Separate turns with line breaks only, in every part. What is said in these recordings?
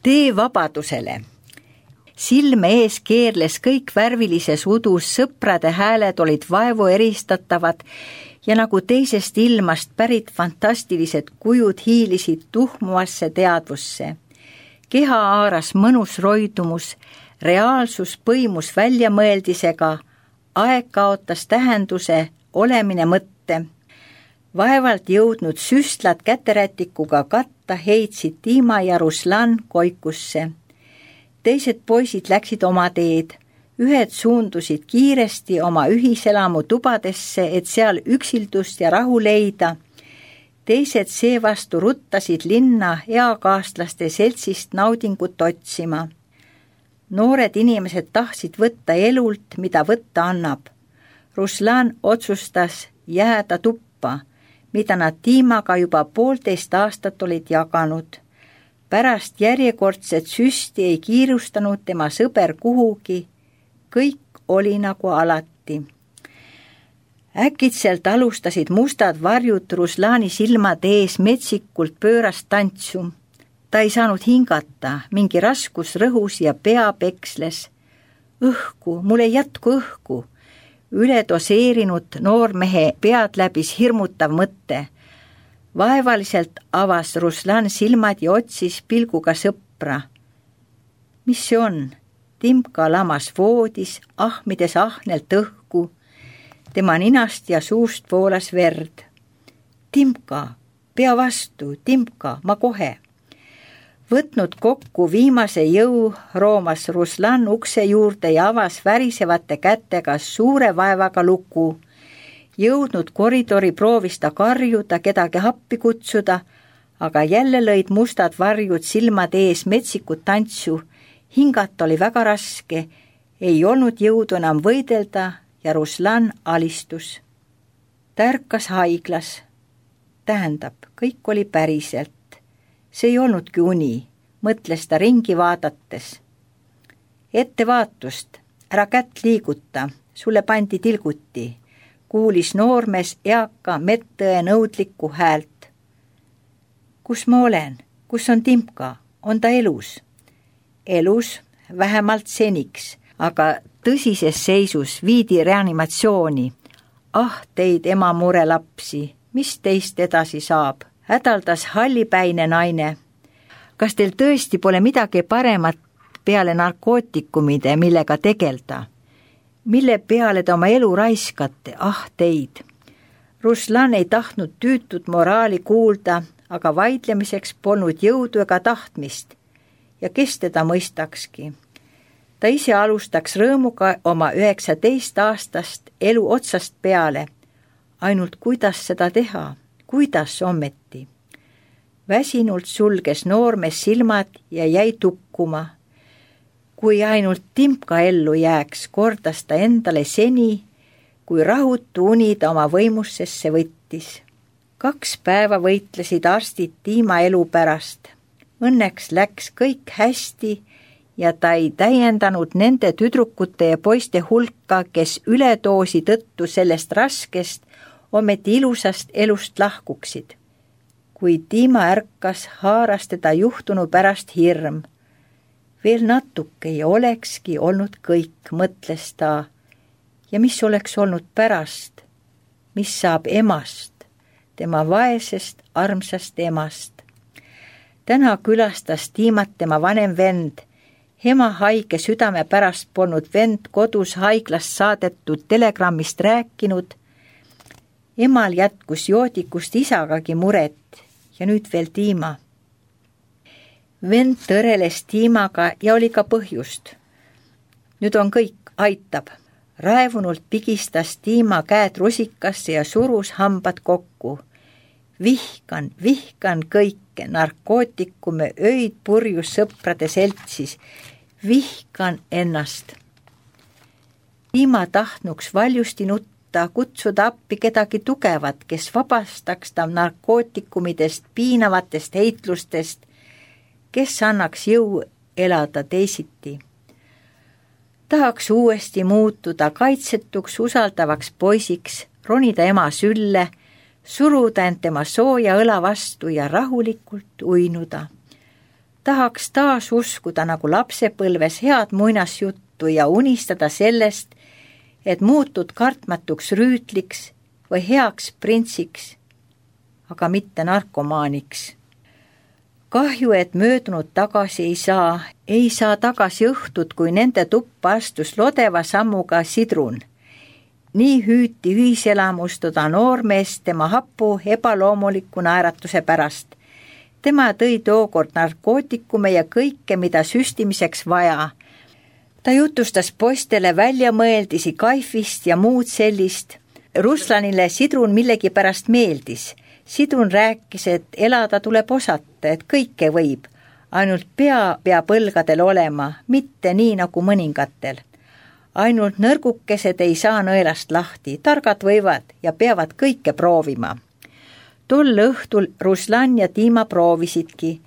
Tee vabadusele. Silme ees keerles kõik värvilises udus, sõprade hääled olid vaevu eristatavad ja nagu teisest ilmast pärit fantastilised kujud hiilisid tuhmuvasse teadvusse. Keha haaras mõnus roidumus, reaalsus põimus väljamõeldisega, aeg kaotas tähenduse, olemine mõtte. Vaevalt jõudnud süstlad käterätikuga katta heitsid Dima ja Ruslan koikusse. Teised poisid läksid oma teed. Ühed suundusid kiiresti oma ühiselamu tubadesse, et seal üksildust ja rahu leida. Teised seevastu ruttasid linna eakaastlaste seltsist naudingut otsima. Noored inimesed tahtsid võtta elult, mida võtta annab. Ruslan otsustas jääda tuppa, mida nad Dimaga juba 1,5 aastat olid jaganud. Pärast järjekordset süsti ei kiirustanud tema sõber kuhugi, kõik oli nagu alati. Äkitselt alustasid mustad varjud Ruslani silmade ees metsikult pöörast tantsu. Ta ei saanud hingata, mingi raskus rõhus ja pea peksles. Õhku, mul ei jätku õhku. Üledoseerinud noormehe pead läbis hirmutav mõte. Vaevaliselt avas Ruslan silmad ja otsis pilguga sõpra. Mis see on? Timka lamas voodis, ahmides ahnelt õhku. Tema ninast ja suust voolas verd. Timka, pea vastu, Timka, ma kohe. Võtnud kokku viimase jõu, roomas Ruslan ukse juurde ja avas värisevate kätega suure vaevaga luku. Jõudnud koridori proovis ta karjuda, kedagi appi kutsuda, aga jälle lõid mustad varjud silmade ees metsikut tantsu. Hingata oli väga raske, ei olnud jõudu enam võidelda ja Ruslan alistus. Ta ärkas haiglas. Tähendab, kõik oli päriselt. See ei olnudki uni, mõtles ta ringi vaadates. Ettevaatust, ära kätt liiguta, sulle pandi tilguti, kuulis noormees eaka medtõe nõudlikku häält. Kus ma olen? Kus on Timka? On ta elus? Elus, vähemalt seniks, aga tõsises seisus viidi reanimatsiooni. Ah, teid ema mure lapsi, mis teist edasi saab? Hädaldas hallipäine naine. Kas teil tõesti pole midagi paremat peale narkootikumide, millega tegelda? Mille peale te oma elu raiskate? Ah, teid. Ruslan ei tahtnud tüütud moraali kuulda, aga vaidlemiseks polnud jõudu ega tahtmist. Ja kes teda mõistakski? Ta ise alustaks rõõmuga oma 19 aastast elu otsast peale. Ainult kuidas seda teha? Kuidas ometi? Väsinult sulges noormees silmad ja jäi tukkuma. Kui ainult Timka ellu jääks, kordas ta endale seni, kui rahutu uni ta oma võimussesse võttis. 2 päeva võitlesid arstid Dima elu pärast. Õnneks läks kõik hästi ja ta ei täiendanud nende tüdrukute ja poiste hulka, kes üledoosi tõttu sellest raskest, ometi ilusast elust lahkuksid. Kui Dima ärkas, haaras teda juhtunu pärast hirm. Veel natuke ja olekski olnud kõik, mõtles ta. Ja mis oleks olnud pärast? Mis saab emast, tema vaesest, armsast emast? Täna külastas Dimat tema vanem vend. Ema haige südame pärast polnud vend kodus haiglast saadetud telegrammist rääkinud. Emal jätkus joodikust isagagi muret ja nüüd veel Dima. Vend tõreles Dimaga ja oli ka põhjust. Nüüd on kõik, aitab. Raevunult pigistas Dima käed rusikasse ja surus hambad kokku. Vihkan kõike, narkootikume, öid purjus sõprade seltsis. Vihkan ennast. Dima tahtnuks valjusti nutta, kutsuda appi kedagi tugevat, kes vabastaks ta narkootikumidest, piinavatest heitlustest, kes annaks jõu elada teisiti. Tahaks uuesti muutuda kaitsetuks usaldavaks poisiks, ronida ema sülle, suruda end tema sooja õla vastu ja rahulikult uinuda. Tahaks taas uskuda nagu lapsepõlves head muinasjuttu ja unistada sellest, et muutud kartmatuks rüütliks või heaks printsiks, aga mitte narkomaaniks. Kahju, et möödunud tagasi ei saa tagasi õhtut, kui nende tuppa astus lodeva sammuga Sidrun. Nii hüüti ühiselamust toda noormeest tema hapu ebaloomuliku naeratuse pärast. Tema tõi tookord narkootikume ja kõike, mida süstimiseks vaja. Ta jutustas poistele väljamõeldisi kaifist ja muud sellist. Ruslanile Sidrun millegipärast meeldis. Sidrun rääkis, et elada tuleb osata, et kõike võib. Ainult pea peab õlgadel olema, mitte nii nagu mõningatel. Ainult nõrgukesed ei saa nõelast lahti, targad võivad ja peavad kõike proovima. Tol õhtul Ruslan ja Dima proovisidki,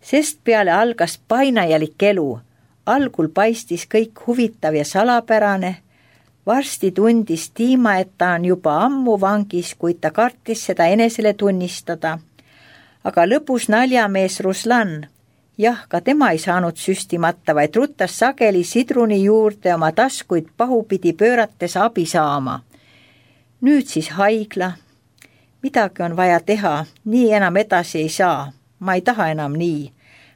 sest peale algas painajalik elu. Algul paistis kõik huvitav ja salapärane. Varsti tundis Dima, et ta on juba ammu vangis, kuid ta kartis seda enesele tunnistada. Aga lõpus naljamees Ruslan, jah, ka tema ei saanud süstimata, vaid ruttas sageli Sidruni juurde oma taskuid pahupidi pöörates abi saama. Nüüd siis haigla. Midagi on vaja teha, nii enam edasi ei saa. Ma ei taha enam nii.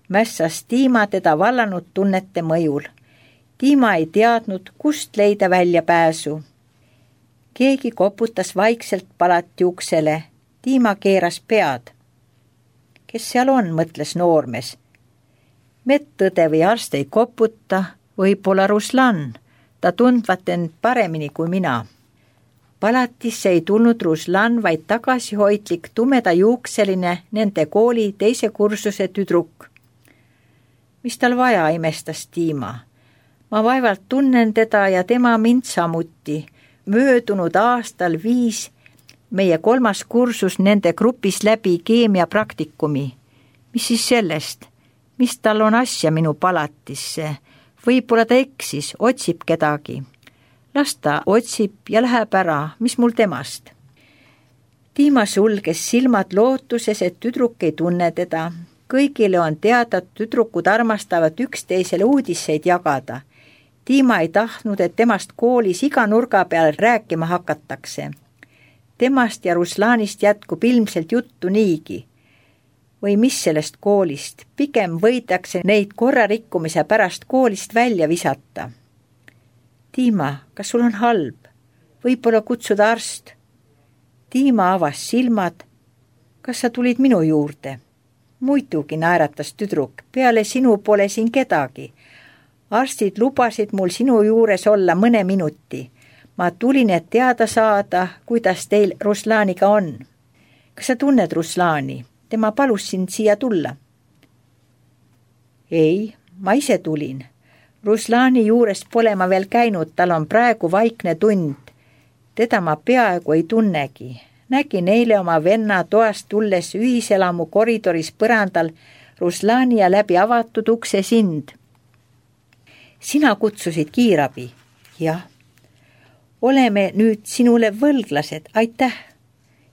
Mässas Dima teda vallanud tunnete mõjul. Dima ei teadnud, kust leida väljapääsu. Keegi koputas vaikselt palati uksele. Dima keeras pead. Kes seal on, mõtles noormees. Medõde või arst ei koputa, võib-olla Ruslan. Ta tundvat end paremini kui mina. Palatisse ei tulnud Ruslan, vaid tagasihoidlik tumedajuukseline nende kooli teise kursuse tüdruk. Mis tal vaja, imestas Dima. Ma vaevalt tunnen teda ja tema mind samuti. Möödunud aastal viis meie 3. kursus nende grupis läbi keemiapraktikumi. Mis siis sellest? Mis tal on asja minu palatisse? Võib-olla ta eksis, otsib kedagi. Las ta otsib ja läheb ära, mis mul temast? Dima sulges silmad lootuses, et tüdruk ei tunne teda. Kõigile on teada, et tüdrukud armastavad üksteisele uudiseid jagada. Dima ei tahtnud, et temast koolis iga nurga peal rääkima hakatakse. Temast ja Ruslanist jätkub ilmselt juttu niigi. Või mis sellest koolist? Pigem võidakse neid korrarikkumise pärast koolist välja visata. Dima, kas sul on halb? Võib-olla kutsuda arst? Dima avas silmad. Kas sa tulid minu juurde? Muidugi, naeratas tüdruk, peale sinu pole siin kedagi. Arstid lubasid mul sinu juures olla mõne minuti. Ma tulin, et teada saada, kuidas teil Ruslaniga on. Kas sa tunned Ruslani? Tema palus sind siia tulla. Ei, ma ise tulin. Ruslani juures pole ma veel käinud, tal on praegu vaikne tund. Teda ma peaaegu ei tunnegi. Nägin eile oma venna toast tulles ühiselamu koridoris põrandal Ruslani ja läbi avatud ukse sind. Sina kutsusid kiirabi? Jah. Oleme nüüd sinule võlglased, aitäh.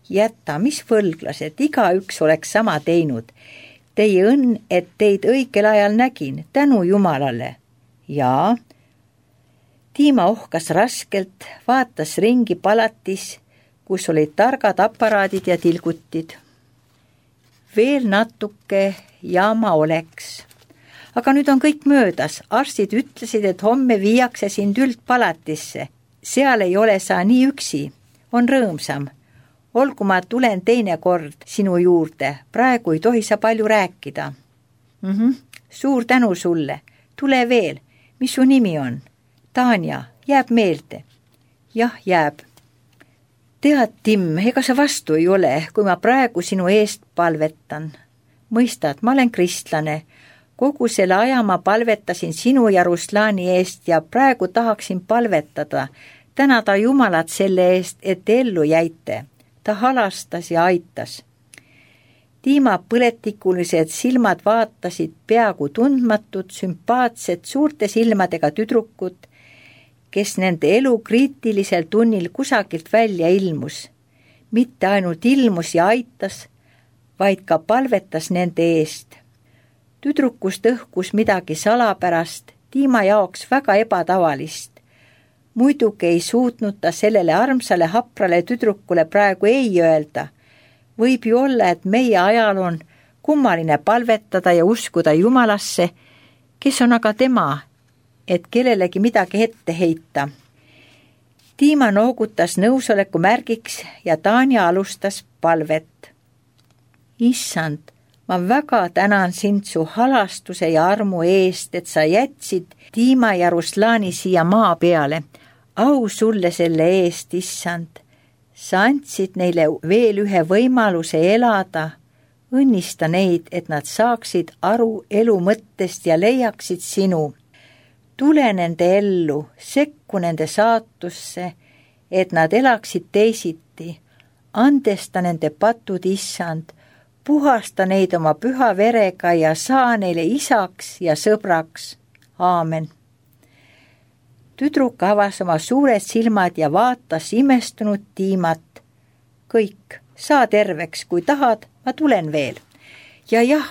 Jätta, mis võlglased, igaüks oleks sama teinud. Teie õnn, et teid õigel ajal nägin, tänu Jumalale. Jaa. Dima ohkas raskelt, vaatas ringi palatis, kus olid targad aparaadid ja tilgutid. Veel natuke ja ma oleks. Aga nüüd on kõik möödas. Arstid ütlesid, et homme viiakse sind üldpalatisse. Seal ei ole sa nii üksi. On rõõmsam. Olgu ma tulen teine kord sinu juurde. Praegu ei tohi sa palju rääkida. Suur tänu sulle. Tule veel. Mis su nimi on? Tanja, jääb meelde? Jah, jääb. Tead, Tim, ega sa vastu ei ole, kui ma praegu sinu eest palvetan. Mõistad, ma olen kristlane. Kogu selle aja ma palvetasin sinu ja Ruslani eest ja praegu tahaksin palvetada. Tänada Jumalat selle eest, et ellu jäite. Ta halastas ja aitas. Dima põletikulised silmad vaatasid peaaegu tundmatud, sümpaatsed, suurte silmadega tüdrukut, kes nende elu kriitilisel tunnil kusagilt välja ilmus. Mitte ainult ilmus ja aitas, vaid ka palvetas nende eest. Tüdrukust õhkus midagi salapärast, Dima jaoks väga ebatavalist. Muidugi ei suutnud ta sellele armsale haprale tüdrukule praegu ei öelda. Võib ju olla, et meie ajal on kummaline palvetada ja uskuda Jumalasse, kes on aga tema, et kellelegi midagi ette heita. Dima noogutas nõusoleku märgiks ja Tanja alustas palvet. Issand, ma väga tänan sind su halastuse ja armu eest, et sa jätsid Dima ja Ruslani siia maa peale. Au sulle selle eest, issand. Sa andsid neile veel ühe võimaluse elada. Õnnista neid, et nad saaksid aru elu mõttest ja leiaksid sinu. Tule nende ellu, sekku nende saatusse, et nad elaksid teisiti. Andesta nende patud, issand, puhasta neid oma püha verega ja saa neile isaks ja sõbraks. Aamen. Tüdruk avas oma suured silmad ja vaatas imestunud Dimat. Kõik, saa terveks, kui tahad, ma tulen veel. Ja jah,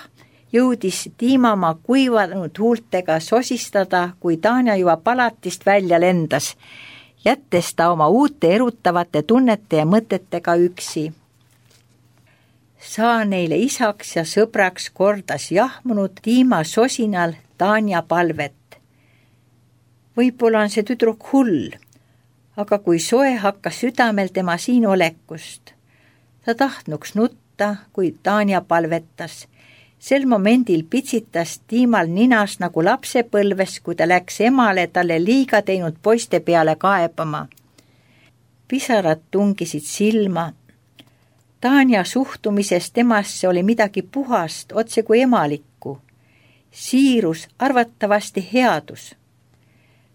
jõudis Dima oma kuivanud huultega sosistada, kui Tanja juba palatist välja lendas, jättes ta oma uute erutavate tunnete ja mõtetega üksi. Saa neile isaks ja sõbraks, kordas jahmunud Dima sosinal Tanja palvet. Võib-olla on see tüdruk hull, aga kui soe hakkas südamel tema siin olekust. Ta tahtnuks nutta, kui Tanja palvetas. Sel momendil pitsitas Dimal ninas nagu lapsepõlves, kui ta läks emale talle liiga teinud poiste peale kaebama. Pisarad tungisid silma. Tanja suhtumises temasse oli midagi puhast, otse kui emalikku. Siirus, arvatavasti headus.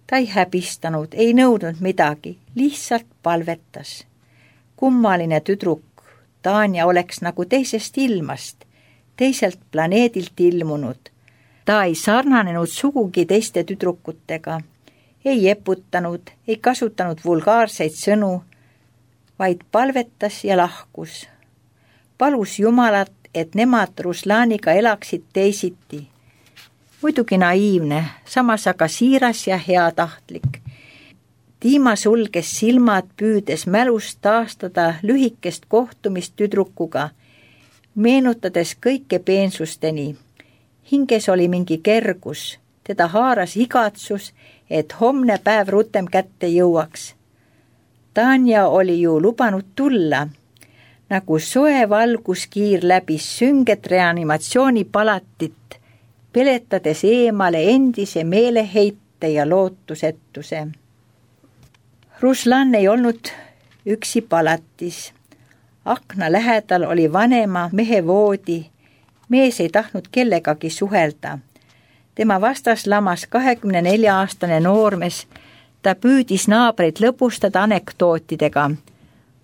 Ta ei häbistanud, ei nõudnud midagi, lihtsalt palvetas. Kummaline tüdruk, Tanja oleks nagu teisest ilmast, teiselt planeedilt ilmunud. Ta ei sarnanenud sugugi teiste tüdrukutega, ei eputanud, ei kasutanud vulgaarseid sõnu, vaid palvetas ja lahkus. Palus Jumalat, et nemad Ruslaniga elaksid teisiti. Muidugi naiivne, samas aga siiras ja heatahtlik. Dima sulges silmad, püüdes mälust taastada lühikest kohtumist tüdrukuga, meenutades kõike peensusteni. Hinges oli mingi kergus, teda haaras igatsus, et homne päev rutem kätte jõuaks. Tanja oli ju lubanud tulla, nagu soe valguskiir läbis sünget reanimatsioonipalatit, peletades eemale endise meeleheite ja lootusetuse. Ruslan ei olnud üksi palatis. Akna lähedal oli vanema mehe voodi. Mees ei tahtnud kellegagi suhelda. Tema vastas lamas 24-aastane noormees. Ta püüdis naabreid lõbustada anekdootidega.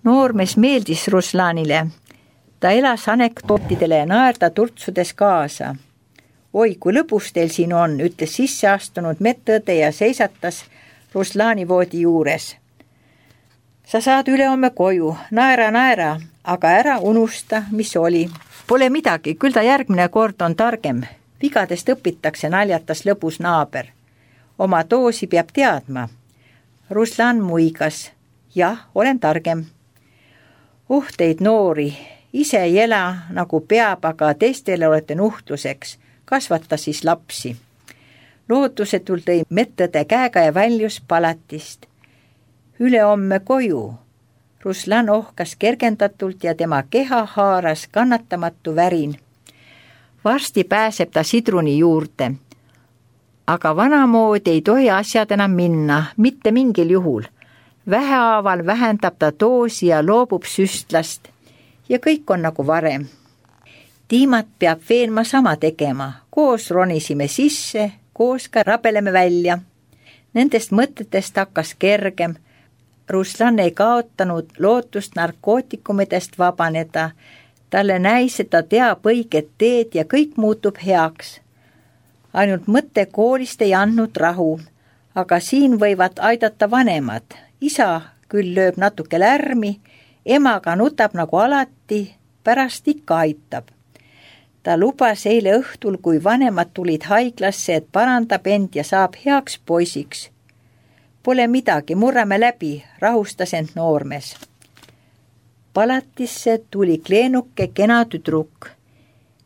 Noormees meeldis Ruslanile. Ta elas anekdootidele ja naerda turtsudes kaasa. Oi, kui lõbus teil siin on, ütles sisse astunud medõde ja seisatas Ruslani voodi juures. Sa saad ülehomme koju, naera, aga ära unusta, mis oli. Pole midagi, küll ta järgmine kord on targem. Vigadest õpitakse, naljatas lõbus naaber. Oma doosi peab teadma. Ruslan muigas. Jah, olen targem. Teid noori, ise ei ela nagu peab, aga teistele olete nuhtluseks. Kasvata siis lapsi. Lootusetul tõi medõde käega ja väljus palatist. Ülehomme koju. Ruslan ohkas kergendatult ja tema keha haaras kannatamatu värin. Varsti pääseb ta sidruni juurde. Aga vanamoodi ei tohi asjad enam minna, mitte mingil juhul. Vähehaaval vähendab ta doosi ja loobub süstlast ja kõik on nagu varem. Dimat peab veenma sama tegema. Koos ronisime sisse, koos ka rabeleme välja. Nendest mõtetest hakkas kergem. Ruslan ei kaotanud lootust narkootikumidest vabaneda. Talle näis, et ta teab õiget teed ja kõik muutub heaks. Ainult mõte koolist ei andnud rahu, aga siin võivad aidata vanemad. Isa küll lööb natuke lärmi, emaga nutab nagu alati, pärast ikka aitab. Ta lubas eile õhtul, kui vanemad tulid haiglasse, et parandab end ja saab heaks poisiks. Pole midagi, murrame läbi, rahustas end noormees. Palatisse tuli kleenuke kena tüdruk.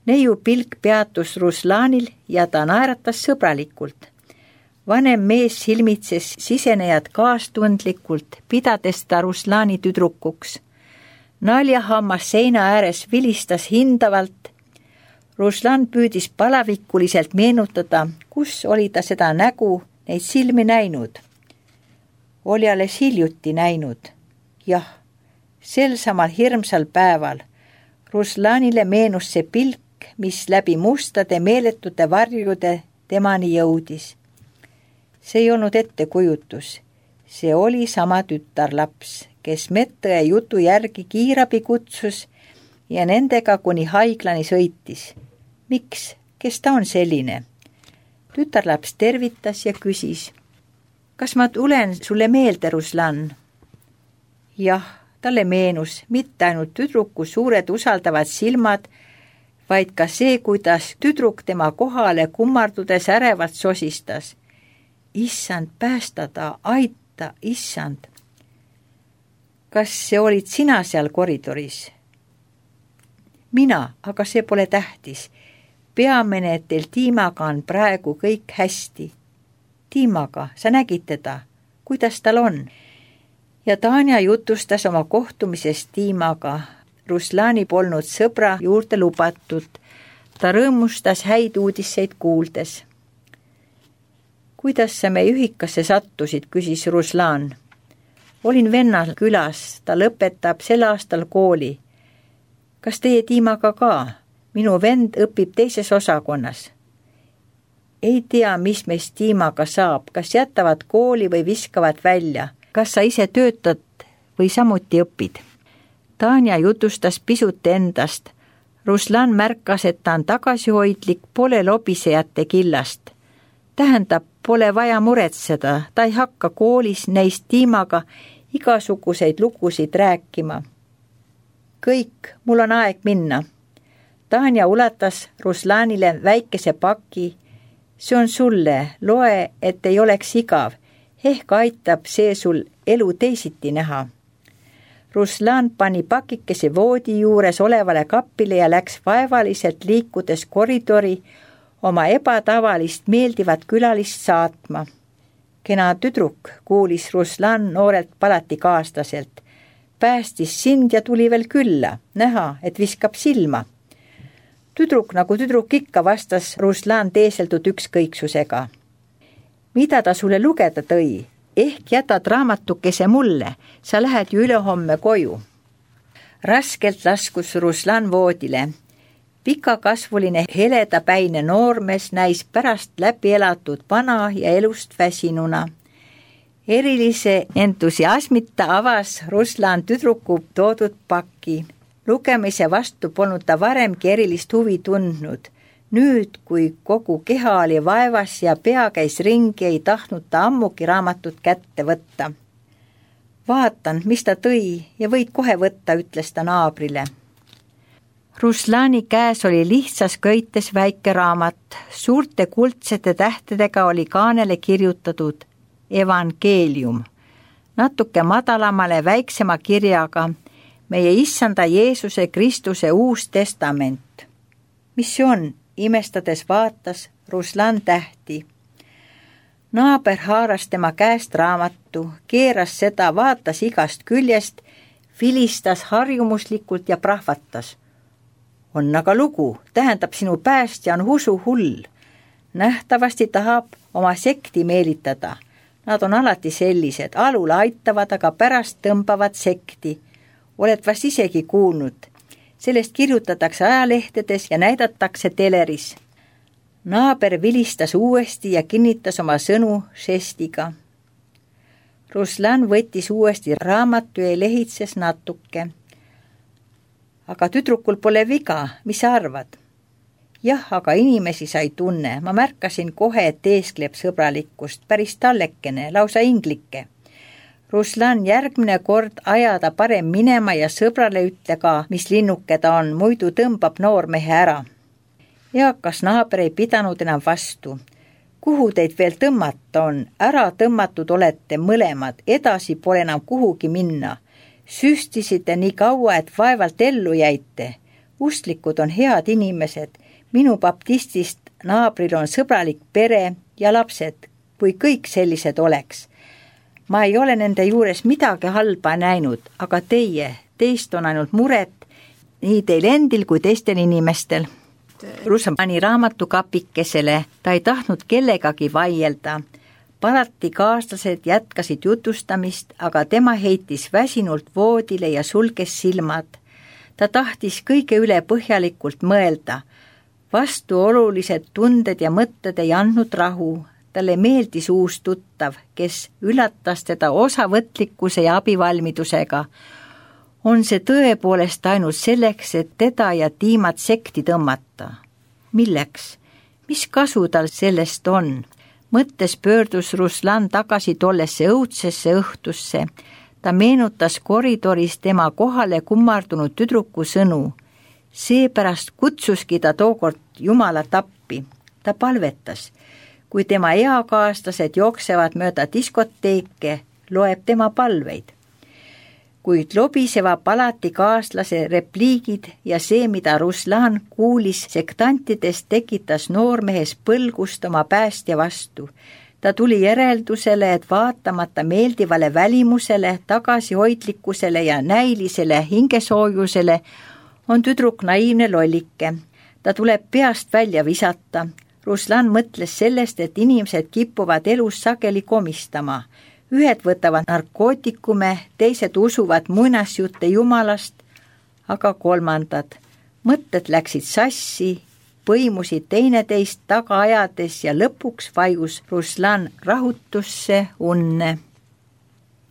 Neiu pilk peatus Ruslanil ja ta naeratas sõbralikult. Vanem mees silmitses sisenejad kaastundlikult, pidades ta Ruslani tüdrukuks. Naljahammas seina ääres vilistas hindavalt. Ruslan püüdis palavikuliselt meenutada, kus oli ta seda nägu, neid silmi näinud. Oli alles hiljuti näinud. Jah, sel samal hirmsal päeval Ruslanile meenus see pilk, mis läbi mustade meeletute varjude temani jõudis. See ei olnud ettekujutus. See oli sama tütarlaps, kes medõe jutu järgi kiirabi kutsus ja nendega kuni haiglani sõitis. Miks? Kes ta on selline? Tütarlaps tervitas ja küsis. Kas ma tulen sulle meelde, Ruslan? Jah, talle meenus mitte ainult tüdruku suured usaldavad silmad, vaid ka see, kuidas tüdruk tema kohale kummardudes ärevalt sosistas. Issand, päästa ta, aita, issand. Kas see olid sina seal koridoris? Mina, aga see pole tähtis. Peamine, et teil Tiimaga on praegu kõik hästi. Tiimaga, sa nägid teda, kuidas tal on? Ja Tanja jutustas oma kohtumisest Tiimaga. Ruslani polnud sõbra juurde lubatud. Ta rõõmustas häid uudiseid kuuldes. Kuidas sa meie ühikasse sattusid, küsis Ruslan. Olin vennal külas, ta lõpetab sel aastal kooli. Kas teie Tiimaga ka? Minu vend õpib teises osakonnas. Ei tea, mis meist Tiimaga saab, kas jätavad kooli või viskavad välja. Kas sa ise töötad või samuti õpid? Tanja jutustas pisut endast. Ruslan märkas, et ta on tagasihoidlik, pole lobisejate killast. Tähendab, pole vaja muretseda, ta ei hakka koolis neist Tiimaga igasuguseid lugusid rääkima. Kõik, mul on aeg minna. Tanja ulatas Ruslanile väikese paki. See on sulle, loe, et ei oleks igav. Ehk aitab see sul elu teisiti näha. Ruslan pani pakikese voodi juures olevale kapile ja läks vaevaliselt liikudes koridori oma ebatavalist meeldivat külalist saatma. Kena tüdruk, kuulis Ruslan noorelt palatikaasłaselt. Päästis sind ja tuli veel külla, näha, et viskab silma. Tüdruk nagu tüdruk ikka, vastas Ruslan teeseldud ükskõiksusega. Mida ta sulle lugeda tõi? Ehk jätad raamatukese mulle, sa lähed ju ülehomme koju. Raskelt laskus Ruslan voodile. Pikakasvuline heledapäine noormees näis pärast läbi elatud vana ja elust väsinuna. Erilise entusiasmita avas Ruslan tüdruku toodud paki. Lugemise vastu polnud ta varemgi erilist huvi tundnud. Nüüd, kui kogu keha oli vaevas ja pea käis ringi, ei tahtnud ta ammugi raamatut kätte võtta. Vaatan, mis ta tõi ja võid kohe võtta, ütles ta naabrile. Ruslani käes oli lihtsas köites väike raamat. Suurte kuldsete tähtedega oli kaanele kirjutatud Evangeelium. Natuke madalamale väiksema kirjaga meie issanda Jeesuse Kristuse uus testament. Mis see on? Imestades vaatas Ruslan tähti. Naaber haaras tema käest raamatu, keeras seda, vaatas igast küljest, vilistas harjumuslikult ja prahvatas. On aga lugu, tähendab sinu päästja on usuhull. Nähtavasti tahab oma sekti meelitada. Nad on alati sellised, alul aitavad, aga pärast tõmbavad sekti. Oled vast isegi kuulnud. Sellest kirjutatakse ajalehtedes ja näidatakse teleris. Naaber vilistas uuesti ja kinnitas oma sõnu žestiga. Ruslan võttis uuesti raamatu ja lehitses natuke. Aga tüdrukul pole viga, mis sa arvad? Jah, aga inimesi sa ei tunne. Ma märkasin kohe, et teeskleb sõbralikkust, päris tallekene, lausa inglike. Ruslan, järgmine kord ajada parem minema ja sõbrale ütle ka, mis linnuke ta on, muidu tõmbab noormehe ära. Eakas naaber ei pidanud enam vastu. Kuhu teid veel tõmmata on? Ära tõmmatud olete mõlemad, edasi pole enam kuhugi minna. Süstisite nii kaua, et vaevalt ellu jäite. Usklikud on head inimesed. Minu baptistist naabril on sõbralik pere ja lapsed, kui kõik sellised oleks. Ma ei ole nende juures midagi halba näinud, aga teist on ainult muret, nii teil endil kui teistel inimestel. Russa pani raamatukapikesele, ta ei tahtnud kellegagi vaielda. Parati kaaslased jätkasid jutustamist, aga tema heitis väsinult voodile ja sulges silmad. Ta tahtis kõige üle põhjalikult mõelda. Vastuolulised tunded ja mõtted ei andnud rahu. Talle meeldis uus tuttav, kes üllatas teda osavõtlikkuse ja abivalmidusega. On see tõepoolest ainult selleks, et teda ja Tiimat sekti tõmmata? Milleks? Mis kasu tal sellest on? Mõttes pöördus Ruslan tagasi tollesse õudsesse õhtusse. Ta meenutas koridoris tema kohale kummardunud tüdruku sõnu. Seepärast kutsuski ta tookord Jumalat appi. Ta palvetas. Kui tema eakaaslased jooksevad mööda diskoteeke, loeb tema palveid. Kuid lobisevad alati kaaslase repliigid ja see, mida Ruslan kuulis sektantidest, tekitas noormehes põlgust oma päästja vastu. Ta tuli järeldusele, et vaatamata meeldivale välimusele, tagasihoidlikkusele ja näilisele hingesoojusele on tüdruk naiivne lollike. Ta tuleb peast välja visata. Ruslan mõtles sellest, et inimesed kipuvad elus sageli komistama. Ühed võtavad narkootikume, teised usuvad muinasjutte Jumalast, aga kolmandad. Mõtted läksid sassi, põimusid teineteist taga ajades ja lõpuks vajus Ruslan rahutusse unne.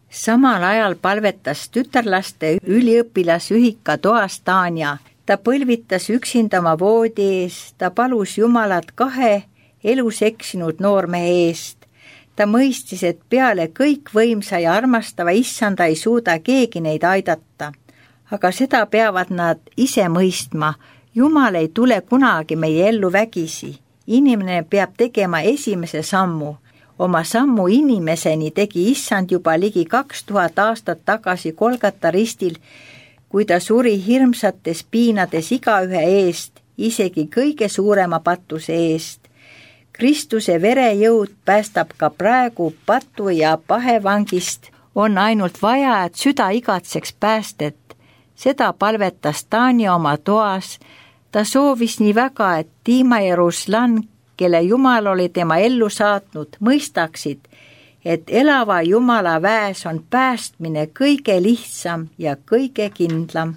Samal ajal palvetas tütarlaste üliõpilasühika toas Tanja. Ta põlvitas üksinda oma voodi ees, ta palus Jumalat 2 elus eksinud noormehe eest. Ta mõistis, et peale kõik võimsa ja armastava issanda ei suuda keegi neid aidata. Aga seda peavad nad ise mõistma. Jumal ei tule kunagi meie ellu vägisi. Inimene peab tegema esimese sammu. Oma sammu inimeseni tegi issand juba ligi 2000 aastat tagasi Golgata ristil, kui ta suri hirmsates piinades igaühe eest, isegi kõige suurema patuse eest. Kristuse verejõud päästab ka praegu patu ja pahevangist. On ainult vaja, et süda igatseks päästet. Seda palvetas Tanja oma toas. Ta soovis nii väga, et Tiima ja Ruslan, kelle Jumal oli tema ellu saatnud, mõistaksid, et elava Jumala väes on päästmine kõige lihtsam ja kõige kindlam.